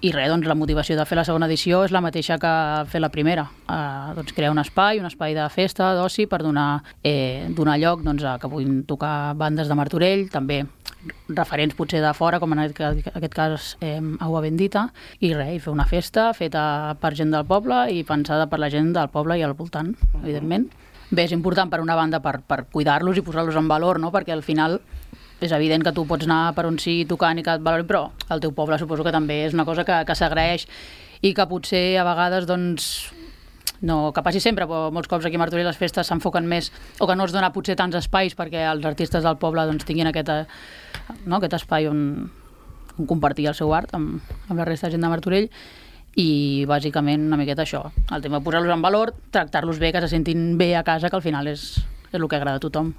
I res, doncs la motivació de fer la segona edició és la mateixa que fer la primera. Doncs crear un espai de festa, d'oci, per donar lloc doncs, a que puguin tocar bandes de Martorell, també referents potser de fora, com en aquest cas Aigua Bendita, i res, i fer una festa feta per gent del poble i pensada per la gent del poble i al voltant, evidentment. Bé, és important per una banda per cuidar-los i posar-los en valor, no? Perquè al final és evident que tu pots anar per on sigui tocant i que et valorin, però el teu poble suposo que també és una cosa que s'agraeix i que potser a vegades, doncs, no que passi sempre, però molts cops aquí a Martorell les festes s'enfoquen més, o que no es dona potser tants espais perquè els artistes del poble doncs, tinguin aquest espai on compartir el seu art amb la resta de gent de Martorell. I bàsicament una miqueta això, el tema de posar-los en valor, tractar-los bé, que se sentin bé a casa, que al final és el que agrada a tothom.